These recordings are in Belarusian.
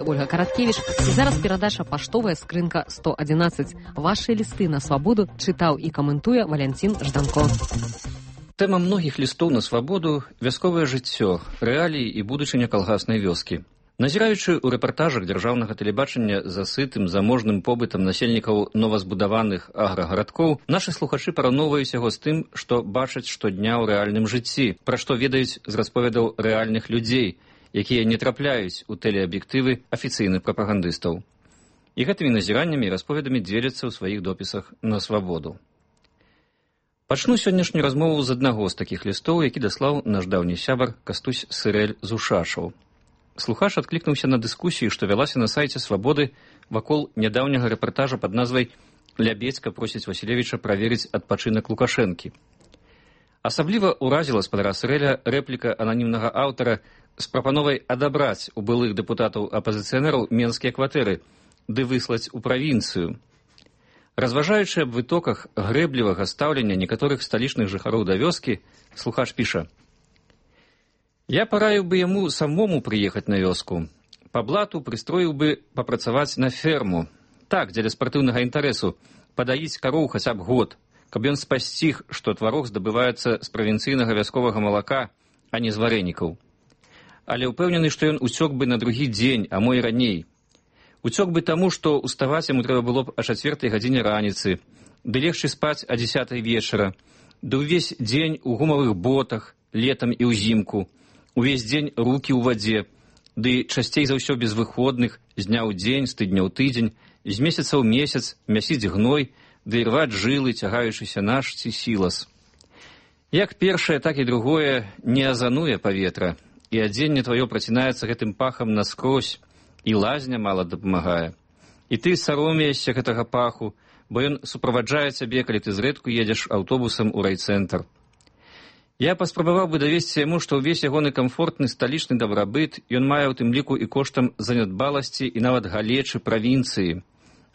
Ольга Караткевич. І зараз перадача «Паштовая скрынка 111». Ваши листы на свободу чытаў і каментуе Валянцін Жданко. Тэма многіх лістоў на свабоду – вясковае жыццё, рэаліі і будучыня калгаснай вёскі. Назіраючы ў рэпартажах дзяржаўнага тэлебачання за сытым, заможным побытам насельнікаў новазбудаваных аграгарадкоў, нашы слухачы параўноўваюць яго з тым, што бачаць штодня ў рэальным жыцці, пра што ведаюць з расповедаў рэальных людзей, якія не трапляюць у тэлеаб'ектывы афіцыйных прапагандыстаў. І гэтымі назіраннямі і расповедамі дзеляцца ў сваіх допісах на свабоду. Пачну сённяшнюю размову з аднаго з такіх лістоў, які даслаў наш даўні сябар Кастусь Сырэль з Ушашаў. Слухач адклікнуўся на дыскусію, што вялася на сайце «Свабоды» вакол нядаўняга рэпартажа пад назвай «Лябедзька просіць Васілевіча праверыць адпачынак Лукашэнкі». Асабліва ўразіла спадара Сырэля рэпліка ананімнага аўтара з прапановай адабраць у былых дэпутатаў-апазіцыянераў менскія кватэры ды выслаць у правінцыю. Разважаючы аб вытоках грэблівага стаўлення некаторых сталічных жыхароў да вёскі, слухач піша: «Я параіў бы яму самому прыехаць на вёску. Па блату прыстроіў бы папрацаваць на ферму. Так, дзеля спартыўнага інтарэсу, падаіць кароў хаця б год, каб ён спасціг, што тварог здабываецца з правінцыйнага вясковага малака, а не з варэнікаў. Але ўпэўнены, што ён уцёк бы на другі дзень, а мо і раней. Уцёк бы таму, што уставаць яму трэба было б о 4 гадзіне раніцы, ды легчы спаць о 10 вечара, ды ўвесь дзень у гумавых ботах, летам і ўзімку, увесь дзень рукі ў вадзе, ды часцей за ўсё без выходных, з дня ў дзень, з тыдня ў тыдзень, з месяца ў месяц мясіць гной, ды рваць жылы, цягаючыся наш ці сілас. Як першае, так і другое не азануе паветра, і адзенне тваё працінаецца гэтым пахам наскрозь, і лазня мала дапамагае. І ты саромеешся гэтага паху, бо ён суправаджае цябе, калі ты зрэдку едзеш аўтобусам у райцэнтр. Я паспрабаваў бы давесці яму, што ўвесь ягоны камфортны сталічны дабрабыт ён мае ў тым ліку і коштам занядбаласці і нават галечы правінцыі,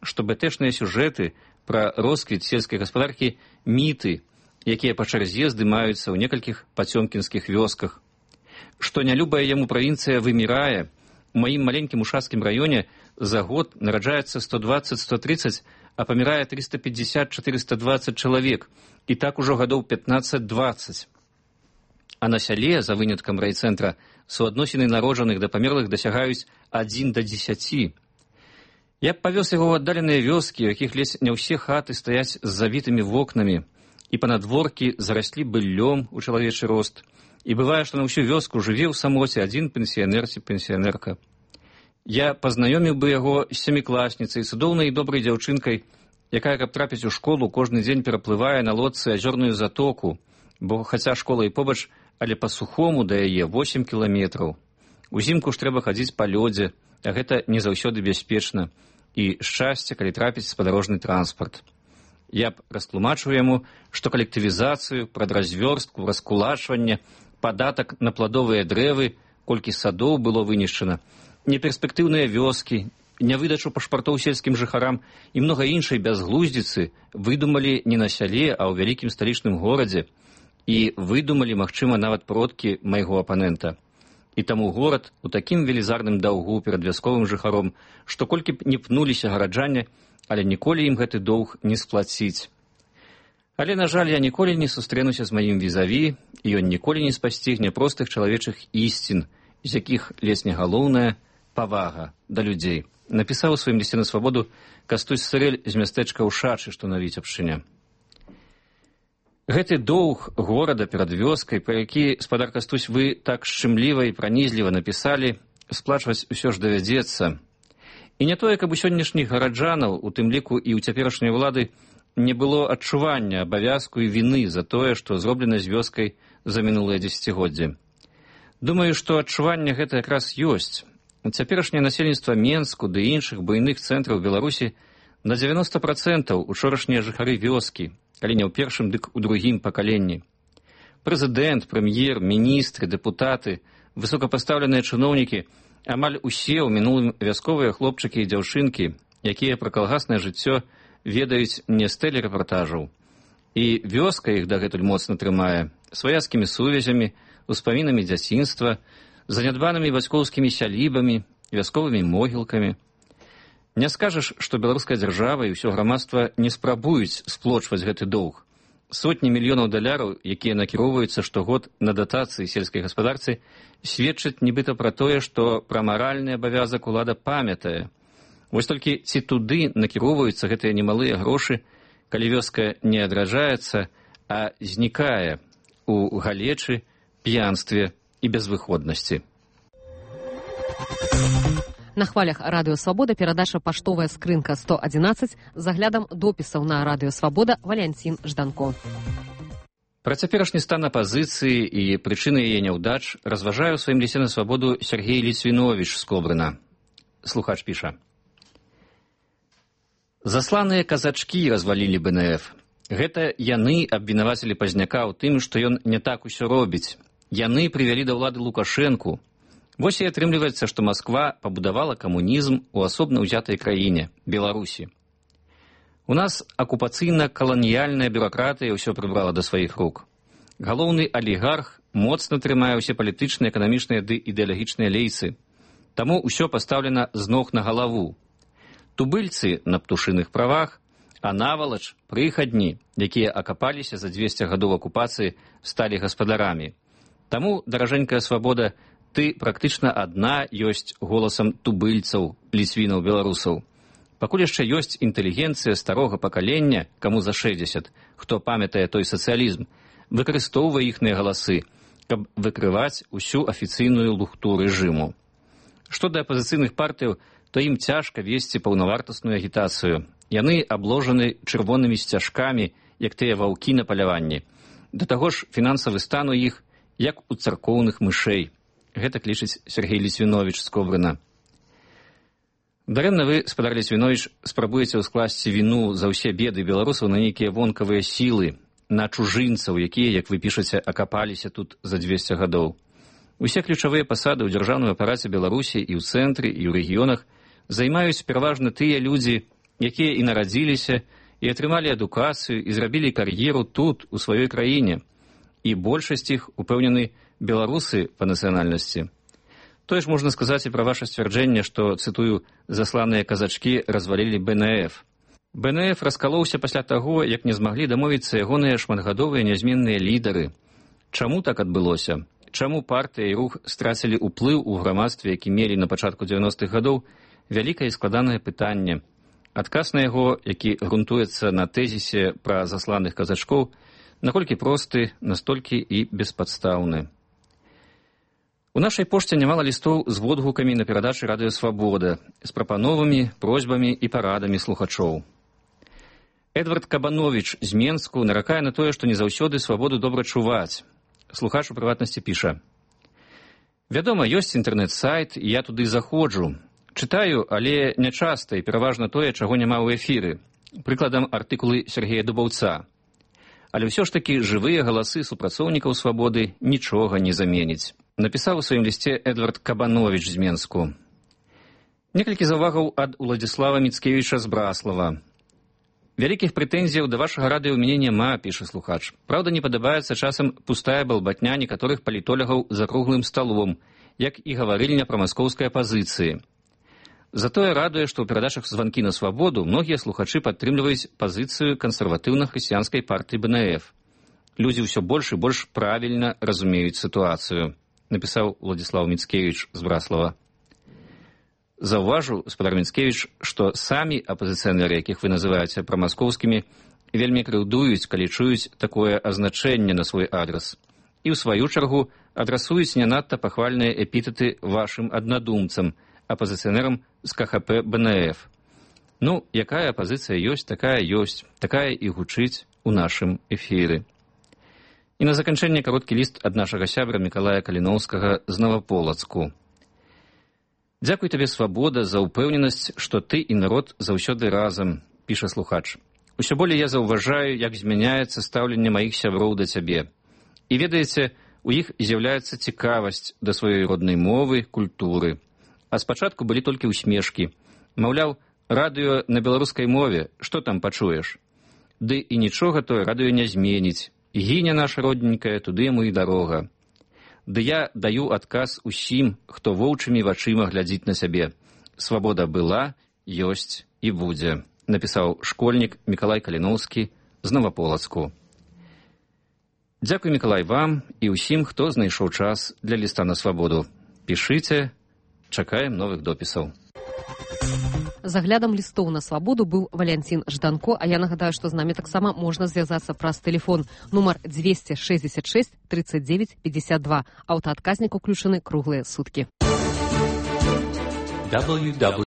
што бэтэшныя сюжэты пра росквіт сельскай гаспадаркі міты, якія па чарзе здымаюцца ў некалькіх пацёмкінскіх вёсках. Што нялюбая яму правінцыя вымірае, у маім маленькім ушацкім раёне за год нараджаецца 120-130, а памірае 350-420 чалавек, і так ужо гадоў 15-20. А на сяле, за выняткам райцэнтра, суадносіны народжаных да памерлых дасягаюць 1 да 10. Я б павёз яго ў аддаленыя вёскі, у якіх ледзь не ўсе хаты стаяць з завітымі вокнамі, і панадворкі зараслі быллём у чалавечы рост, і бывае, што на ўсю вёску жыве ў самоце адзін пенсіянер ці пенсіянерка. Я пазнаёміў бы яго з сямікласніцай, цудоўнай і добрай дзяўчынкай, якая, каб трапіць у школу, кожны дзень пераплывае на лодцы азёрную затоку, бо хаця школа і побач, але па-сухому да яе 8 кіламетраў. Узімку ж трэба хадзіць па лёдзе, а гэта не заўсёды бяспечна, і шчасце, калі трапіць спадарожны транспарт. Я б растлумачыў яму, што калектывізацыю, прадразвёрстку, раскулачванне, падатак на пладовыя дрэвы, колькі садоў было вынішчана, неперспектыўныя вёскі, нявыдачу пашпартоў сельскім жыхарам і многа іншай бязглуздзіцы выдумалі не на сяле, а ў вялікім сталічным горадзе, і выдумалі, магчыма, нават продкі майго апанента. І таму горад у такім велізарным даўгу перад вясковым жыхаром, што колькі б не пнуліся гараджане, але ніколі ім гэты доўг не сплаціць. Але, на жаль, я ніколі не сустрэнуся з маім візаві, і ён ніколі не спасцігне простых чалавечых ісцін, з якіх лесне галоўная павага да людзей. Напісаў у сваім лісце на свабоду Кастусь Сырэль з мястэчка Ушачы, што на Віцебшчыне. Гэты доўг горада перад вёскай, пра які, спадар Кастусь, вы так шчымліва і пранізліва напісалі, сплачваць усё ж давядзецца. І не тое, каб у сённяшніх гараджанаў, у тым ліку і ў цяперашняй улады, не было адчування абавязку і віны за тое, што зроблена з вёскай за мінулыя дзесяцігоддзі. Думаю, што адчуванне гэта якраз ёсць. Цяперашняе насельніцтва Менску ды іншых буйных цэнтраў Беларусі на 90% учорашнія жыхары вёскі, калі не ў першым, дык у другім пакаленні. Прэзідэнт, прэм'ер, міністры, дэпутаты, высокапастаўленыя чыноўнікі, амаль усе ў мінулым вясковыя хлопчыкі і дзяўчынкі, якія пра калгаснае жыццё ведаюць не з тэлерэпартажаў. І вёска іх дагэтуль моцна трымае сваяцкімі сувязямі, успамінамі дзяцінства, занядбанымі бацькоўскімі сялібамі, вясковымі могілкамі. Не скажаш, што беларуская дзяржава і ўсё грамадства не спрабуюць сплочваць гэты доўг. Сотні мільёнаў даляраў, якія накіроўваюцца штогод на датацыі сельскай гаспадарцы, сведчаць нібыта пра тое, што пра маральны абавязак улада памятае. Вось толькі ці туды накіроўваюцца гэтыя немалыя грошы, калі вёска не адраджаецца, а знікае у галечы, п'янстве і безвыходнасці. На хвалях Радыё Свабода перадача «Паштовая скрынка 111» з аглядам допісаў на Радыё Свабода Валянцін Жданко. Пра цяперашні стан апазіцыі і прычыны яе няўдач разважае ў сваім лісце на свабоду Сергей Ліцвіновіч з Кобрына. Слухач піша. Засланыя казачкі развалілі БНФ. Гэта яны абвінавацілі Пазняка ў тым, што ён не так усё робіць. Яны прывялі да ўлады Лукашэнку. Вось і атрымліваецца, што Масква пабудавала камунізм у асобна ўзятай краіне, Беларусі. У нас акупацыйна-каланіяльная бюракратыя ўсё прыбрала да сваіх рук. Галоўны алігарх моцна трымае ўсе палітычныя, эканамічныя ды ідэалагічныя лейцы. Таму ўсё пастаўлена з ног на галаву. Тубыльцы на птушыных правах, а навалач прыхадні, якія акапаліся за 200 гадоў акупацыі, сталі гаспадарамі. Таму, даражэнькая свабода, ты практычна адна ёсць голасам тубыльцаў, ліцвінаў, беларусаў. Пакуль яшчэ ёсць інтэлігенцыя старога пакалення, каму за 60, хто памятае той сацыялізм, выкарыстоўвае іхныя галасы, каб выкрываць усю афіцыйную лухту рэжыму. Што да апазіцыйных партыяў, то ім цяжка весці паўнавартасную агітацыю. Яны абложаны чырвонымі сцяжкамі, як тыя ваўкі на паляванні. Да таго ж фінансавы стан у іх, як у царкоўных мышэй. Гэтак лічыць Сергей Ліцвіновіч з Кобрына. Дарэмна вы, спадар Ліцвіновіч, спрабуеце ўскласці віну за ўсе беды беларусаў на нейкія вонкавыя сілы, на чужынцаў, якія, як вы пішаце, акапаліся тут за 200 гадоў. Усе ключавыя пасады ў дзяржаўным апараце Беларусі і ў цэнтры, і ў рэгіёнах займаюць пераважна тыя людзі, якія і нарадзіліся, і атрымалі адукацыю, і зрабілі кар'еру тут, у сваёй краіне. І большасць іх, упэўнены, беларусы па нацыянальнасці. Тое ж можна сказаць і пра ваша сцвярджэнне, што, цытую, засланыя казачкі развалілі БНФ. БНФ раскалоўся пасля таго, як не змаглі дамовіцца ягоныя шматгадовыя нязменныя лідары. Чаму так адбылося? Чаму партыя і рух страцілі ўплыў у грамадстве, які мелі на пачатку 90-х гадоў, вялікае і складанае пытанне. Адказ на яго, які грунтуецца на тэзісе пра засланых казачкоў, наколькі просты, настолькі і беспадстаўны. У нашай пошце нямала лістоў з водгукамі на перадачы Радыё Свабода, з прапановамі, просьбамі і парадамі слухачоў. Эдвард Кабановіч з Менску наракае на тое, што не заўсёды свабоду добра чуваць. Слухач у прыватнасці піша. Вядома, ёсць інтэрнэт-сайт, і я туды заходжу. Чытаю, але нячаста і пераважна тое, чаго няма ў эфіры. Прыкладам, артыкулы Сергея Дубаўца. Але ўсё ж такі жывыя галасы супрацоўнікаў свабоды нічога не заменіць. Напісаў у сваім лісце Эдвард Кабановіч з Менску. Некалькі заўвагаў ад Уладзіслава Міцкевіча з Браслава. Вялікіх прэтэнзіяў да вашага радыё ў мяне няма, піша слухач. Праўда, не падабаецца часам пустая балбатня некаторых палітолягаў за круглым сталом, як і гаварыльня пра маскоўскай апазіцыі. Затое радуе, што ў перадачах «Званкі на свабоду» многія слухачы падтрымліваюць пазіцыю кансерватыўна-хрысціянскай партыі БНФ. Людзі ўсё больш і больш правільна разумеюць сітуацыю, напісаў Уладзіслаў Міцкевіч з Браслава. Заўважу, спадар Міцкевіч, што самі апазіцыянеры, якіх вы называеце прамаскоўскімі, вельмі крыўдуюць, калі чуюць такое азначэнне на свой адрас. І ў сваю чаргу адрасуюць не надта пахвальныя эпітэты вашым аднадумцам, апазіцыянерам з КХП БНФ. Ну, якая апазіцыя ёсць, такая і гучыць у нашым эфіры. І на заканчэнне кароткі ліст ад нашага сябра Мікалая Каліноўскага з Новаполацку. Дзякуй табе, свабода, за ўпэўненасць, што ты і народ заўсёды разам, піша слухач. Усё болей я заўважаю, як змяняецца стаўленне маіх сяброў да цябе. І ведаеце, у іх з'яўляецца цікавасць да сваёй роднай мовы, культуры. А спачатку былі толькі ўсмешкі. Маўляў, радыё на беларускай мове, што там пачуеш? Ды і нічога тое радыё не зменіць. Гіне наша родненькая, туды яму і дарога. Ды я даю адказ усім, хто воўчымі вачыма глядзіць на сябе. Свабода была, ёсць і будзе, напісаў школьнік Мікалай Каліноўскі з Новаполацку. Дзякуй, Мікалай, вам і ўсім, хто знайшоў час для ліста на свабоду. Пішыце, чакаем новых допісаў. За аглядам лістоў на свабоду быў Валянцін Жданко, а я нагадаю, што з намі таксама можна звязацца праз тэлефон нумар 266 39 52. Аўтаадказнік уключаны круглыя суткі.